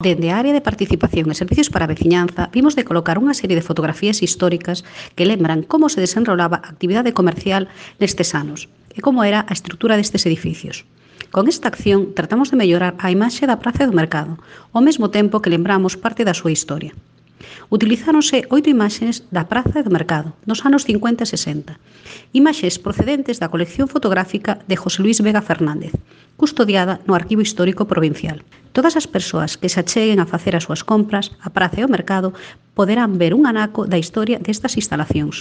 Dende a área de participación e servicios para a veciñanza, vimos de colocar unha serie de fotografías históricas que lembran como se desenrolaba a actividade comercial nestes anos e como era a estrutura destes edificios. Con esta acción, tratamos de mellorar a imaxe da Praza do Mercado, ao mesmo tempo que lembramos parte da súa historia. Utilizáronse 8 imaxes da Praza do Mercado, nos anos 50 e 60. Imaxes procedentes da colección fotográfica de José Luis Vega Fernández, custodiada no Arquivo Histórico Provincial. Todas as persoas que se acheguen a facer as súas compras, a praza e o mercado, poderán ver un anaco da historia destas instalacións.